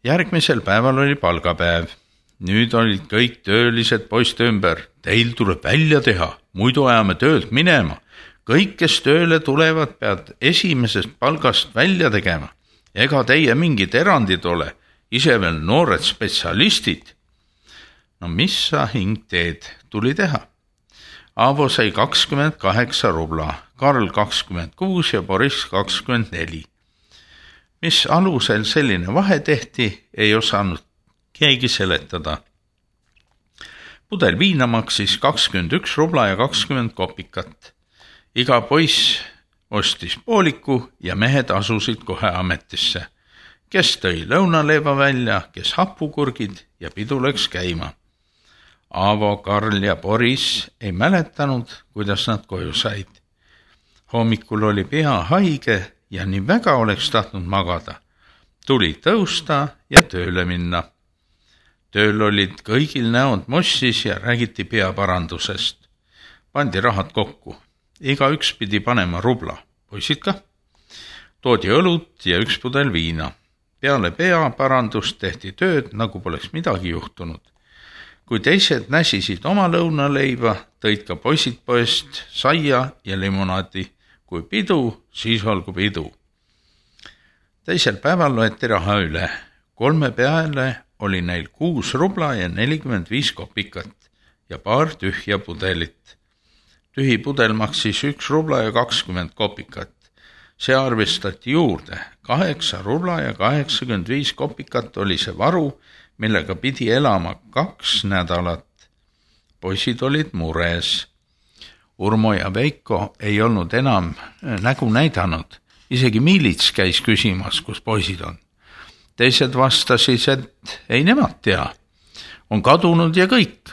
Järgmisel päeval oli palgapäev. Nüüd olid kõik töölised poiste ümber. Teil tuleb välja teha, muidu ajame töölt minema. Kõik, kes tööle tulevad, pead esimesest palgast välja tegema. Ega teie mingid erandid ole, ise veel noored spetsialistid. No mis sa hing teed, tuli teha. Aavo sai 28 rubla, Karl 26 ja Boris 24. Mis alusel selline vahe tehti, ei osanud keegi seletada. Pudel viina maksis 21 rubla ja 20 kopikat. Iga poiss ostis pooliku ja mehed asusid kohe ametisse. Kes tõi lõunaleiva välja, kes hapukurgid ja pidu läks käima. Aavo, Karl ja Boris ei mäletanud, kuidas nad koju said. Hommikul oli pea haige ja nii väga oleks tahtnud magada. Tuli tõusta ja tööle minna. Tööl olid kõigil näod mossis ja räägiti peaparandusest. Pandi rahad kokku. Iga üks pidi panema rubla. Poisid ka. Toodi õlut ja üks pudel viina. Peale peaparandust tehti tööd, nagu poleks midagi juhtunud. Kui teised näsisid oma lõunaleiva, tõid ka poisid poest saia ja limonaadi. Kui pidu, siis olgu pidu. Teisel päeval loeti raha üle. 3 peale oli neil 6 rubla ja 45 kopikat ja paar tühja pudelit. Tühi pudel maksis 1 rubla ja 20 kopikat. See arvestati juurde. 8 rubla ja 85 kopikat oli see varu, millega pidi elama 2 nädalat. Poisid olid mures. Urmo ja Veiko ei olnud enam nägu näidanud. Isegi miilits käis küsimas, kus poisid on. Teised vastasid, et ei nemad tea. On kadunud ja kõik.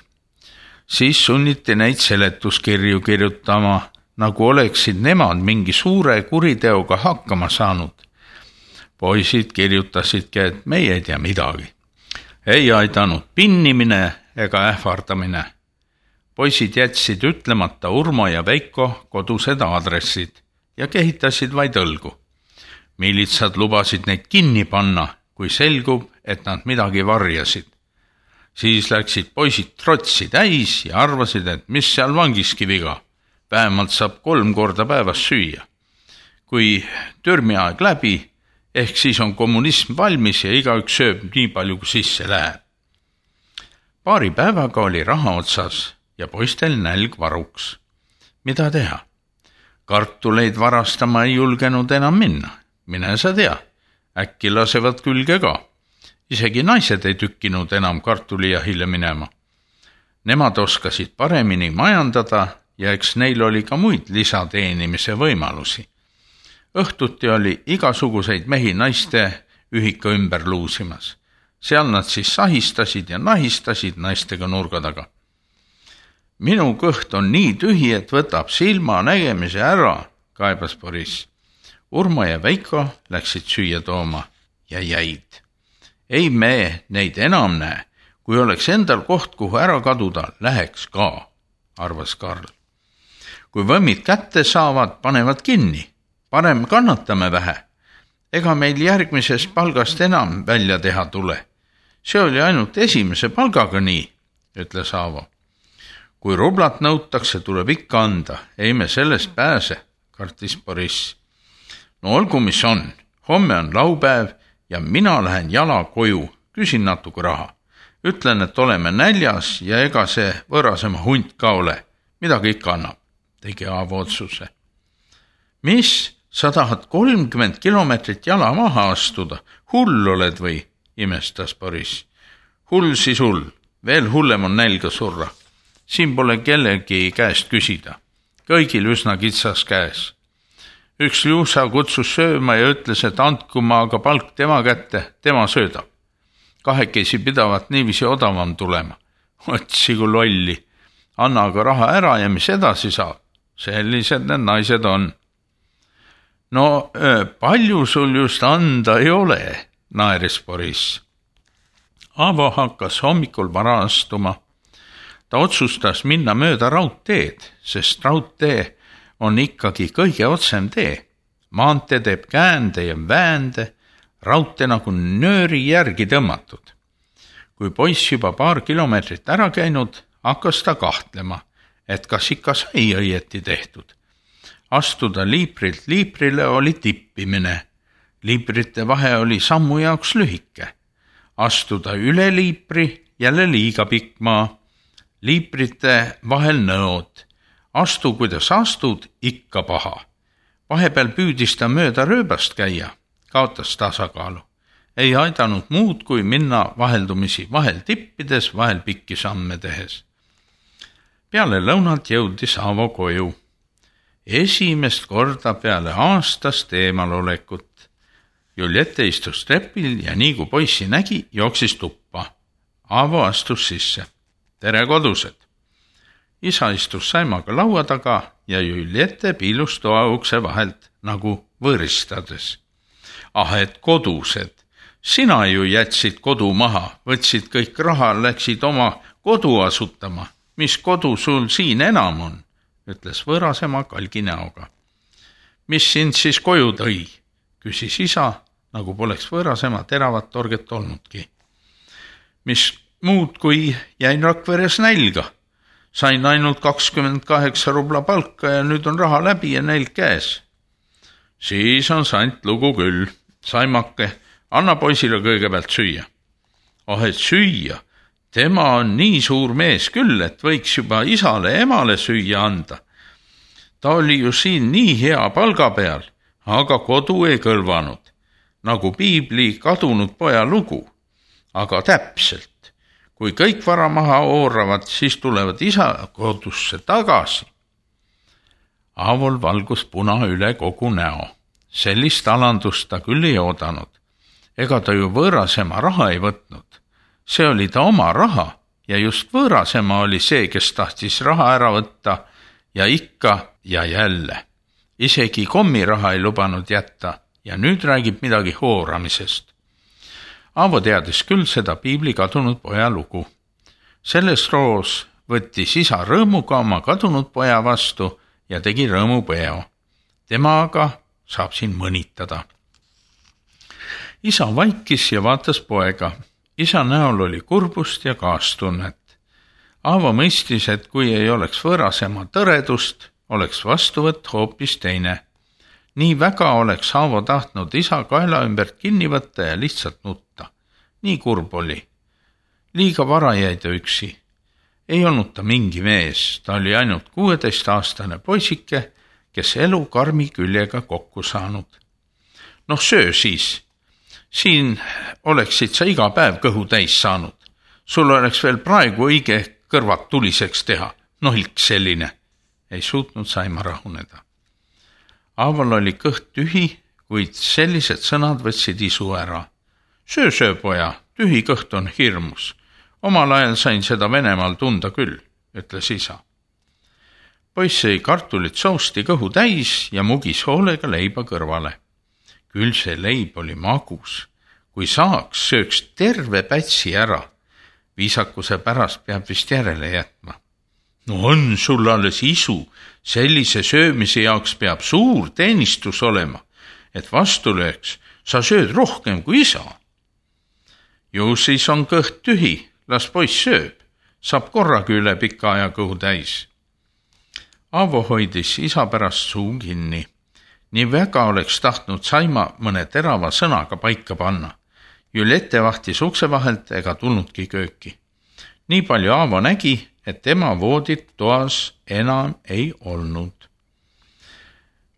Siis sunniti neid seletuskirju kirjutama, nagu oleksid nemad mingi suure kuriteoga hakkama saanud. Poisid kirjutasidki, et meie ei tea midagi. Ei aidanud pinnimine ega ähvardamine. Poisid jätsid ütlemata Urmo ja Veiko kodused aadressid ja kehitasid vaid õlgu. Miilitsad lubasid neid kinni panna, kui selgub, et nad midagi varjasid. Siis läksid poisid trotsi täis ja arvasid, et mis seal vangiski viga. Vähemalt saab 3 korda päevas süüa. Kui türmiaeg läbi, ehk siis on kommunism valmis ja igaüks sööb nii palju, kui sisse läheb. Paari päevaga oli raha otsas ja poistel nälg varuks. Mida teha? Kartuleid varastama ei julgenud enam minna. Mine sa tea, äkki lasevad külge ka. Isegi naised ei tükkinud enam kartulijahile minema. Nemad oskasid paremini majandada ja eks neil oli ka muid lisateenimise võimalusi. Õhtuti oli igasuguseid mehi naiste ühika ümber luusimas. Seal nad siis sahistasid ja nahistasid naistega nurga taga. Minu kõht on nii tühi, et võtab silma nägemise ära, kaebas Boris. Urmo ja Veiko läksid süüa tooma ja jäid. Ei me neid enam näe. Kui oleks endal koht, kuhu ära kaduda, läheks ka, arvas Karl. Kui võmmid kätte saavad, panevad kinni. Parem kannatame vähe. Ega meil järgmisest palgast enam välja teha tule. See oli ainult esimese palgaga nii, ütles Aavo. Kui rublat nõutakse, tuleb ikka anda. Ei me sellest pääse, kartis Boris. No olgu, mis on. Homme on laupäev ja mina lähen jala koju. Küsin natuke raha. Ütlen, et oleme näljas ja ega see võõrasema hunt ka ole. Midagi ikka annab, tegi Aavo otsuse. Mis? Sa tahad 30 kilomeetrit jala maha astuda? Hull oled või? Imestas Boris. Hull siis hull. Veel hullem on nälga surra. Siin pole kellegi käest küsida. Kõigil üsna kitsas käes. Üks Liusa kutsus sööma ja ütles, et andku ma aga palk tema kätte, tema söödab. Kahekesi pidavat niiviisi odavam tulema. Otsi kui lolli. Anna aga raha ära ja mis edasi saab. Sellised need naised on. No palju sul just anda ei ole, naeris Boris. Aavo hakkas hommikul vara astuma. Ta otsustas minna mööda raudteed, sest raudtee on ikkagi kõige otsem tee. Maantee teeb käände ja väände, raudtee nagu nööri järgi tõmmatud. Kui poiss juba paar kilomeetrit ära käinud, hakkas ta kahtlema, et kas ikka sai õieti tehtud. Astuda liiprilt liiprile oli tippimine. Liiprite vahe oli sammu jaoks lühike. Astuda üle liipri, jälle liiga pikk maa. Liiprite vahel nõod. Astu, kuidas astud, ikka paha. Vahepeal püüdis ta mööda rööbast käia, kaotas tasakaalu. Ei aidanud muud, kui minna vaheldumisi vahel tippides, vahel pikki samme tehes. Peale lõunat jõudis Aavo koju. Esimest korda peale aastast eemalolekut. Juliette istus trepil ja nii kui poissi nägi, jooksis tuppa. Aavo astus sisse. Tere, kodused! Isa istus Saimaga laua taga ja Juliette piilus toa ukse vahelt nagu võõristades. Et kodused! Sina ju jätsid kodu maha, võtsid kõik raha, läksid oma kodu asutama. Mis kodu sul siin enam on? Ütles võõrasema kalgi näoga. Mis sind siis koju tõi? Küsis isa, nagu poleks võõrasema teravat torget olnudki. Mis muud, kui jäin Rakveres nälga. Sain ainult 28 rubla palka ja nüüd on raha läbi ja nälg käes. Siis on sant lugu küll. Saimake, anna poisile kõigepealt süüa. Et süüa? Tema on nii suur mees küll, et võiks juba isale emale süüa anda. Ta oli ju siin nii hea palga peal, aga kodu ei kõlvanud. Nagu piibli kadunud poja lugu. Aga täpselt. Kui kõik vara maha ooravad, siis tulevad isa kodusse tagasi. Aavol valgus puna üle kogu näo. Sellist alandust ta küll ei oodanud. Ega ta ju võõrasema raha ei võtnud. See oli ta oma raha ja just võõrasema oli see, kes tahtis raha ära võtta ja ikka ja jälle. Isegi kommiraha ei lubanud jätta ja nüüd räägib midagi hooramisest. Aavo teadis küll seda piibli kadunud poja lugu. Selles loos võttis isa rõõmuga oma kadunud poja vastu ja tegi rõõmupeo. Tema aga saab siin mõnitada. Isa vaikis ja vaatas poega. Isa näol oli kurbust ja kaastunnet. Aavo mõistis, et kui ei oleks võõrasema tõredust, oleks vastuvõtt hoopis teine. Nii väga oleks Aavo tahtnud isa kaela ümbert kinni võtta ja lihtsalt nutta. Nii kurb oli. Liiga vara jäi ta üksi. Ei olnud ta mingi mees, ta oli ainult 16-aastane poisike, kes elu karmi küljega kokku saanud. Söö siis. Siin oleksid sa iga päev kõhu täis saanud. Sul oleks veel praegu õige kõrvad tuliseks teha. Ilk selline. Ei suutnud Saima rahuneda. Aavol oli kõht tühi, kuid sellised sõnad võtsid isu ära. Söö, poja, tühi kõht on hirmus. Omal ajal sain seda Venemaal tunda küll, ütles isa. Poiss sõi kartulit sousti kõhu täis ja mugis hoolega leiba kõrvale. Küll see leib oli magus. Kui saaks, sööks terve pätsi ära. Viisakuse pärast peab vist järele jätma. On sul alles isu. Sellise söömise jaoks peab suur teenistus olema, et vastu lööks. Sa sööd rohkem kui isa. Ju siis on kõht tühi. Las poiss sööb. Saab korraga üle pika aja kõhu täis. Aavo hoidis isa pärast suu kinni. Nii väga oleks tahtnud Saima mõne terava sõnaga paika panna. Juliette vahtis ukse vahelt ega tulnudki kööki. Nii palju Aavo nägi, et tema voodit toas enam ei olnud.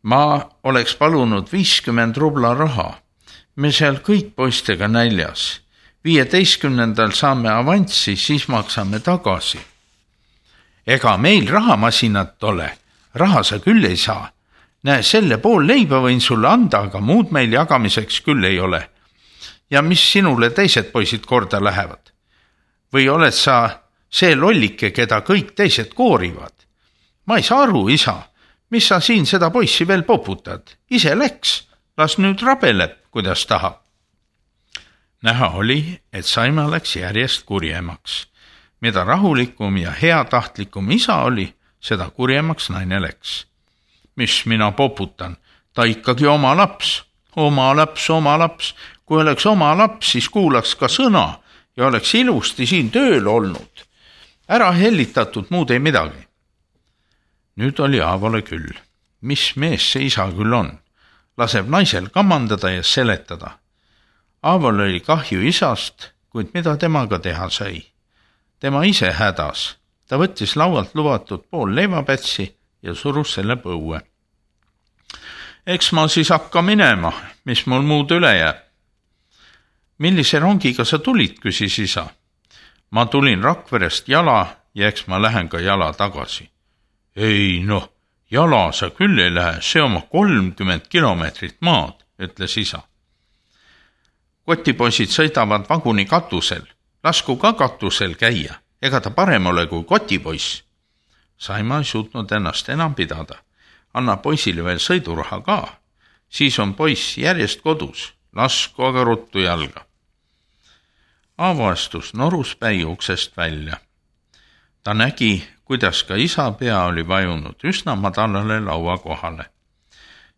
Ma oleks palunud 50 rubla raha. Me seal kõik poistega näljas. 15. saame avanssi, siis maksame tagasi. Ega meil rahamasinat ole. Raha sa küll ei saa. Näe, selle pool leiba võin sulle anda, aga muud meil jagamiseks küll ei ole. Ja mis sinule teised poisid korda lähevad? Või oled sa see lollike, keda kõik teised koorivad? Ma ei saa aru, isa. Mis sa siin seda poissi veel poputad? Ise läks. Las nüüd rabeleb, kuidas tahab. Näha oli, et Saima läks järjest kurjemaks. Mida rahulikum ja heatahtlikum isa oli, seda kurjemaks naine läks. Mis mina poputan? Ta ikkagi oma laps. Oma laps. Kui oleks oma laps, siis kuulaks ka sõna ja oleks ilusti siin tööl olnud. Ära hellitatud, muud ei midagi. Nüüd oli Aavole küll. Mis mees see isa küll on? Laseb naisel kammandada ja seletada. Aavol oli kahju isast, kuid mida temaga teha sai? Tema ise hädas. Ta võttis laualt lubatud pool leivapätsi ja surus selle põue. Eks ma siis hakka minema, mis mul muud üle jääb. Millise rongiga sa tulid, küsis isa. Ma tulin Rakverest jala ja eks ma lähen ka jala tagasi. Ei noh, jala sa küll ei lähe, see oma 30 kilomeetrit maad, ütles isa. Kotipoisid sõidavad vaguni katusel, lasku ka katusel käia, ega ta parem ole kui kotipoiss. Saima ei suutnud ennast enam pidada. Anna poisile veel sõiduraha ka, siis on poiss järjest kodus, lasku aga ruttu jalga. Aavo astus noruspäi uksest välja. Ta nägi, kuidas ka isa pea oli vajunud üsna madalale laua kohale.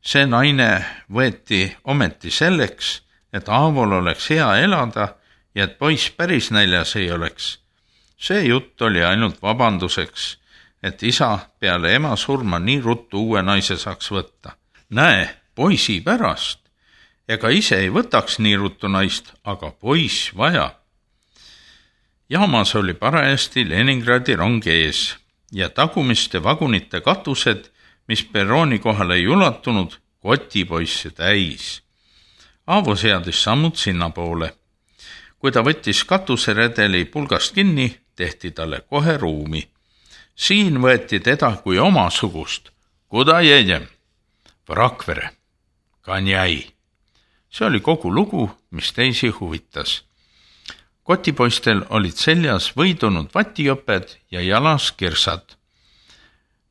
See naine võeti ometi selleks, et Aavol oleks hea elada ja et poiss päris näljas ei oleks. See jutt oli ainult vabanduseks, et isa peale ema surma nii ruttu uue naise saaks võtta. Näe, poisi pärast. Ega ise ei võtaks nii ruttu naist, aga poiss vaja. Jaamas oli parajasti Leningradi rong ees ja tagumiste vagunite katused, mis perrooni kohale ei ulatunud, kotipoisse täis. Aavo seadis sammud sinna poole. Kui ta võttis katuseredeli pulgast kinni, tehti talle kohe ruumi. Siin võeti teda kui omasugust. Kuda jedem? V Rakvere. Kanjai. See oli kogu lugu, mis teisi huvitas. Kotipoistel olid seljas võidunud vatiõped ja jalas kirsad.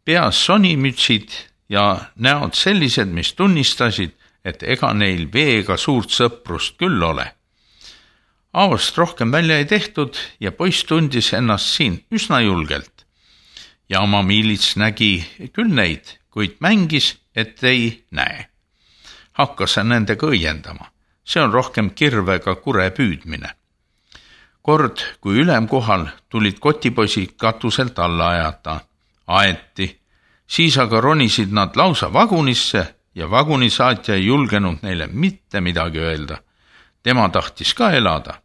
Peas sonimütsid ja näod sellised, mis tunnistasid, et ega neil veega suurt sõprust küll ole. Aavost rohkem välja ei tehtud ja poiss tundis ennast siin üsna julgelt. Ja oma miilits nägi küll neid, kuid mängis, et ei näe. Hakkas nendega õiendama. See on rohkem kirvega kure püüdmine. Kord, kui ülemkohal tulid kotipoisid katuselt alla ajata. Aeti. Siis aga ronisid nad lausa vagunisse ja vagunisaatja ei julgenud neile mitte midagi öelda. Tema tahtis ka elada.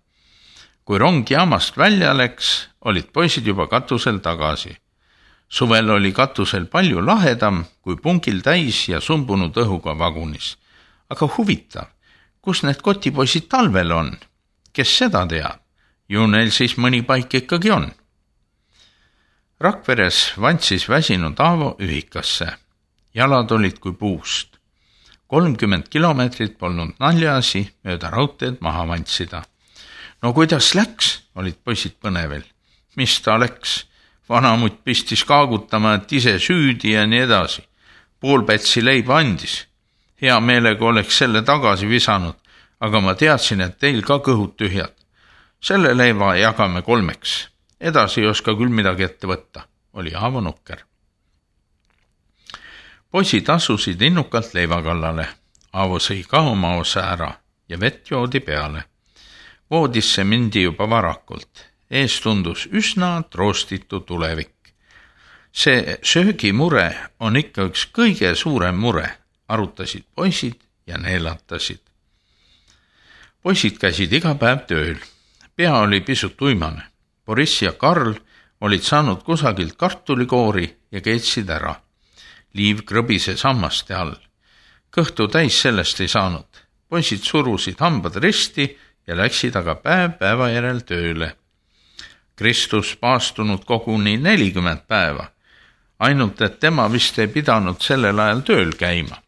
Kui rong jaamast välja läks, olid poisid juba katusel tagasi. Suvel oli katusel palju lahedam kui pungil täis ja sumbunud õhuga vagunis. Aga huvitav, kus need kotipoisid talvel on? Kes seda teab? Ju neil siis mõni paik ikkagi on. Rakveres vantsis väsinud Aavo ühikasse. Jalad olid kui puust. 30 kilomeetrit polnud naljaasi mööda raudteed maha vantsida. No kuidas läks, olid poisid põnevel. Mis ta läks? Vanamutt pistis kaagutama, et ise süüdi ja nii edasi. Poolpätsi leiba andis. Hea meelega oleks selle tagasi visanud, aga ma teadsin, et teil ka kõhud tühjad. Selle leiva jagame 3. Edasi ei oska küll midagi ette võtta, oli Aavo nukker. Poisid asusid innukalt leiva kallale. Aavo sõi ka oma osa ära ja vett joodi peale. Voodisse mindi juba varakult. Ees tundus üsna troostitu tulevik. See söögimure on ikka üks kõige suurem mure, arutasid poisid ja neelatasid. Poisid käisid iga päev tööl. Pea oli pisut uimane. Boris ja Karl olid saanud kusagilt kartulikoori ja keetsid ära. Liiv krõbise sammaste all. Kõhtu täis sellest ei saanud. Poisid surusid hambad risti ja läksid aga päeva järel tööle. Kristus paastunud koguni 40 päeva. Ainult, et tema vist ei pidanud sellel ajal tööl käima.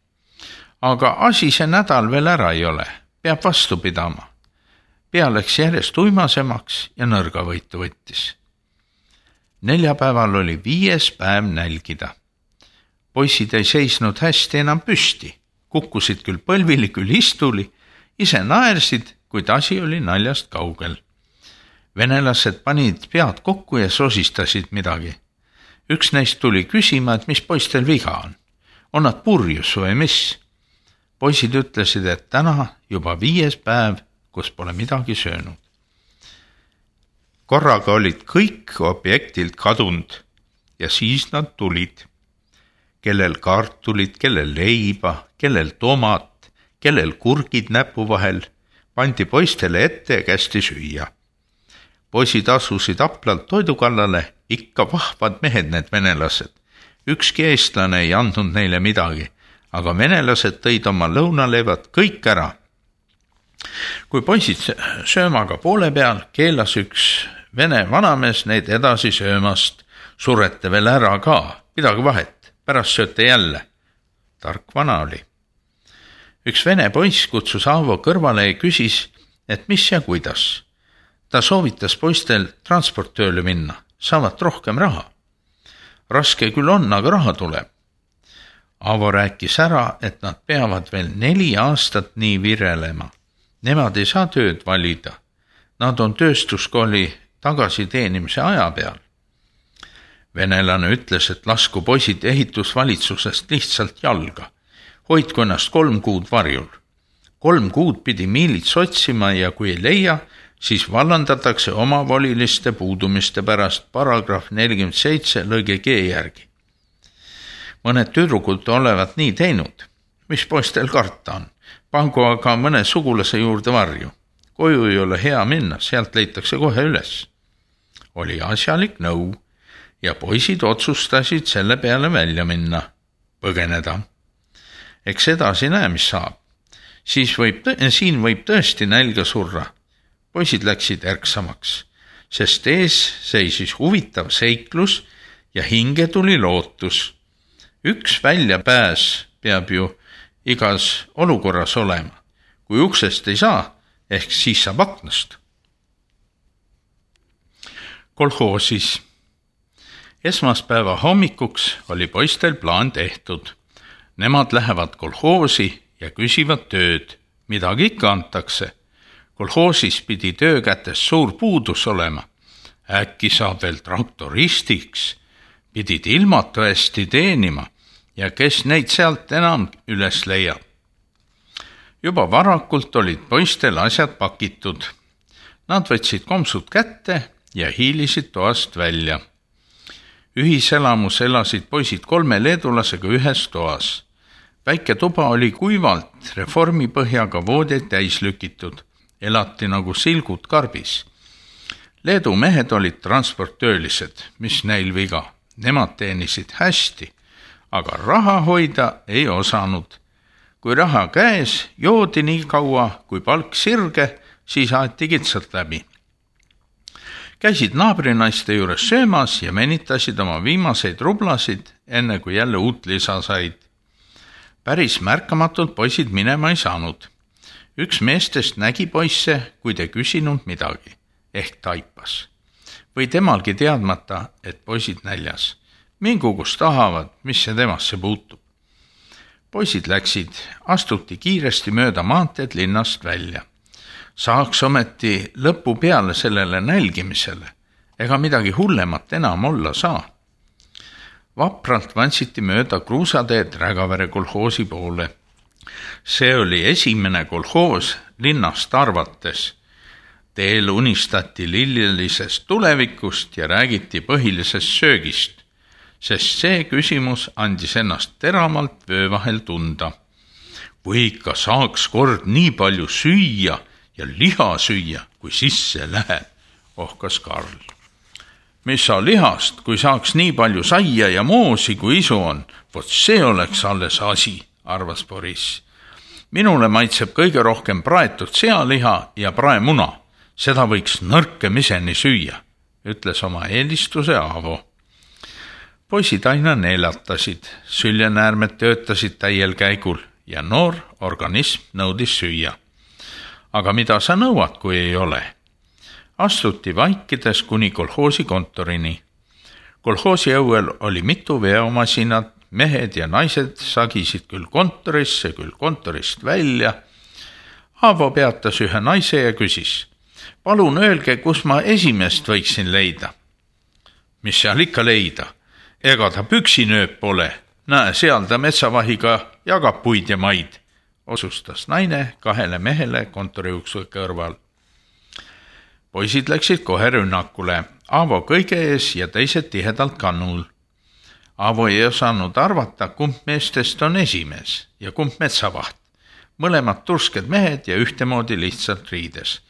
Aga asi see nädal veel ära ei ole. Peab vastu pidama. Pea läks järjest uimasemaks ja nõrgavõitu võttis. Neljapäeval oli 5. päev nälgida. Poisid ei seisnud hästi enam püsti. Kukkusid küll põlvili, küll istuli. Ise naersid, kuid asi oli naljast kaugel. Venelased panid pead kokku ja sosistasid midagi. Üks neist tuli küsima, et mis poistel viga on. On nad purjus või mis? Poisid ütlesid, et täna juba 5. päev kus pole midagi söönud. Korraga olid kõik objektilt kadunud ja siis nad tulid. Kellel kartulid, kellel leiba, kellel tomat, kellel kurgid näpu vahel, pandi poistele ette ja kästi süüa. Poisid asusid aplalt toidu kallale, ikka vahvad mehed need venelased. Ükski eestlane ei andnud neile midagi, aga venelased tõid oma lõunaleevad kõik ära. Kui poisid söömaga poole peal, keelas üks vene vanamees neid edasi söömast. Surete veel ära ka, midagi vahet, pärast sööte jälle. Tark vana oli. Üks vene poiss kutsus Aavo kõrvale ja küsis, et mis ja kuidas. Ta soovitas poistel transporttööle minna, saavad rohkem raha. Raske küll on, aga raha tuleb. Aavo rääkis ära, et nad peavad veel 4 aastat nii virelema. Nemad ei saa tööd valida. Nad on tööstuskooli tagasiteenimise aja peal. Venelane ütles, et lasku poisid ehitusvalitsusest lihtsalt jalga. Hoidku ennast 3 kuud varjul. 3 kuud pidi miilits otsima ja kui ei leia, siis vallandatakse omavoliliste puudumiste pärast paragrahv 47 lõige G järgi. Mõned tüdrukud olevat nii teinud. Mis poistel karta on? Pangu aga mõne sugulase juurde varju. Koju ei ole hea minna, sealt leitakse kohe üles. Oli asjalik nõu ja poisid otsustasid selle peale välja minna, põgeneda. Eks edasi näe, mis saab. Siin võib tõesti nälga surra. Poisid läksid ärksamaks, sest ees seisis huvitav seiklus ja hinge tuli lootus. Üks väljapääs peab ju igas olukorras olema. Kui uksest ei saa, ehk siis saab aknast. Kolhoosis. Esmaspäeva hommikuks oli poistel plaan tehtud. Nemad lähevad kolhoosi ja küsivad tööd. Midagi ikka antakse. Kolhoosis pidi töökätes suur puudus olema. Äkki saab veel traktoristiks. Pidid ilmatu hästi teenima ja kes neid sealt enam üles leiab. Juba varakult olid poistel asjad pakitud. Nad võtsid komsud kätte ja hiilisid toast välja. Ühiselamus elasid poisid 3 leedulasega ühes toas. Väike tuba oli kuivalt reformipõhjaga voodeid täis lükitud. Elati nagu silgud karbis. Leedu mehed olid transporttöölised, mis neil viga. Nemad teenisid hästi, aga raha hoida ei osanud. Kui raha käes, joodi nii kaua, kui palk sirge, siis aeti kitsalt läbi. Käisid naabrinaiste juures söömas ja menitasid oma viimaseid rublasid, enne kui jälle uut lisa said. Päris märkamatult poisid minema ei saanud. Üks meestest nägi poisse, kui te küsinud midagi, ehk taipas. Või temalgi teadmata, et poisid näljas. Mingu kus tahavad, mis see temasse puutub. Poisid läksid, astuti kiiresti mööda maanteed linnast välja. Saaks ometi lõpu peale sellele nälgimisele, ega midagi hullemat enam olla saa. Vapralt vantsiti mööda kruusateed Rägavere kolhoosi poole. See oli esimene kolhoos linnast arvates. Teel unistati lillelisest tulevikust ja räägiti põhilisest söögist, sest see küsimus andis ennast teramalt vöö vahel tunda. Või ikka saaks kord nii palju süüa ja liha süüa, kui sisse läheb, ohkas Karl. Mis sa lihast, kui saaks nii palju saia ja moosi, kui isu on, vot see oleks alles asi, arvas Boris. Minule maitseb kõige rohkem praetud sealiha ja praemuna. Seda võiks nõrkemiseni süüa, ütles oma eelistuse Aavo. Poisid aina neelatasid, süljenäärmed töötasid täiel käigul ja noor organism nõudis süüa. Aga mida sa nõuad, kui ei ole? Astuti vaikides kuni kolhoosi kontorini. Kolhoosi õuel oli mitu veomasinat, mehed ja naised sagisid küll kontorisse, küll kontorist välja. Aavo peatas ühe naise ja küsis, palun öelge, kus ma esimest võiksin leida. Mis seal ikka leida? Ega ta püksinööp pole. Näe, seal ta metsavahiga jagab puid ja maid. otsustas naine 2 mehele kontoriukse kõrval. Poisid läksid kohe rünnakule, Aavo kõige ees ja teised tihedalt kannul. Aavo ei osanud arvata, kumb meestest on esimees ja kumb metsavaht. Mõlemad tursked mehed ja ühtemoodi lihtsalt riides.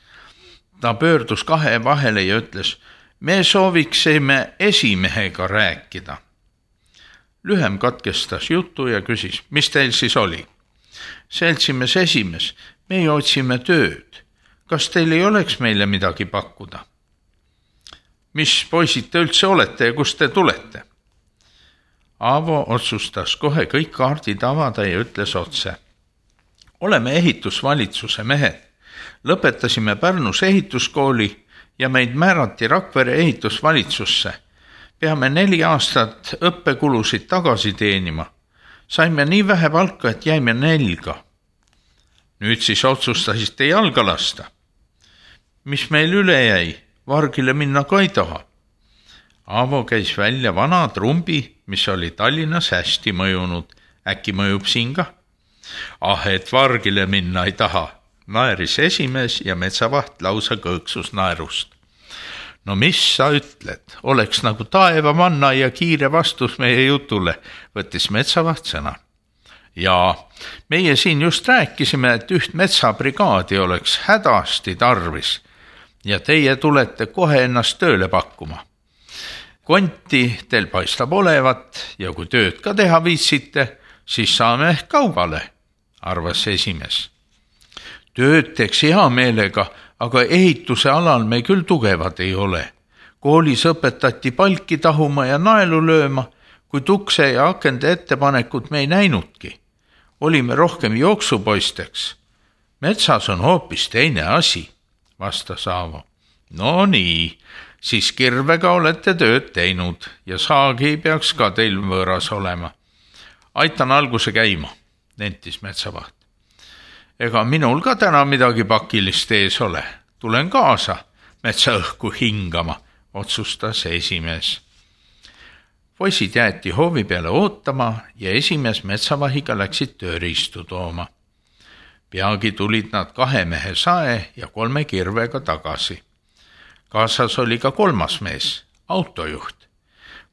Ta pöördus 2 vahele ja ütles, me sooviksime esimehega rääkida. Lühem katkestas juttu ja küsis, mis teil siis oli? Seltsimees esimees, me otsime tööd. Kas teil ei oleks meile midagi pakkuda? Mis poisid te üldse olete ja kust te tulete? Aavo otsustas kohe kõik kaardid avada ja ütles otse. Oleme ehitusvalitsuse mehed. Lõpetasime Pärnus ehituskooli ja meid määrati Rakvere ehitusvalitsusse. Peame 4 aastat õppekulusid tagasi teenima. Saime nii vähe palka, et jäime nälga. Nüüd siis otsustasite jalga lasta. Mis meil üle jäi? Vargile minna ka ei taha. Aavo käis välja vana trumbi, mis oli Tallinnas hästi mõjunud. Äkki mõjub siin ka? Et vargile minna ei taha. Naeris esimees ja metsavaht lausa kõõksus naerust. No mis sa ütled? Oleks nagu taeva manna ja kiire vastus meie jutule, võttis metsavaht sõna. Ja meie siin just rääkisime, et üht metsabrigaadi oleks hädasti tarvis ja teie tulete kohe ennast tööle pakkuma. Konti teil paistab olevat ja kui tööd ka teha viitsite, siis saame ehk kaubale, arvas esimees. Tööd teeks hea meelega, aga ehituse alal me küll tugevad ei ole. Koolis õpetati palki tahuma ja naelu lööma, kuid ukse ja akende ettepanekut me ei näinudki. Olime rohkem jooksupoisteks. Metsas on hoopis teine asi, vastas Aavo. No nii, siis kirvega olete tööd teinud ja saagi ei peaks ka teil võõras olema. Aitan alguse käima, nentis metsavaht. Ega minul ka täna midagi pakilist ees ole. Tulen kaasa metsaõhku hingama, otsustas esimees. Poisid jäeti hoovi peale ootama ja esimees metsavahiga läksid tööriistu tooma. Peagi tulid nad 2 mehe sae ja 3 kirvega tagasi. Kaasas oli ka 3. mees, autojuht.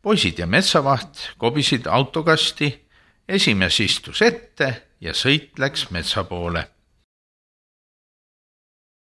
Poisid ja metsavaht kobisid autokasti, esimees istus ette ja sõit läks metsa poole.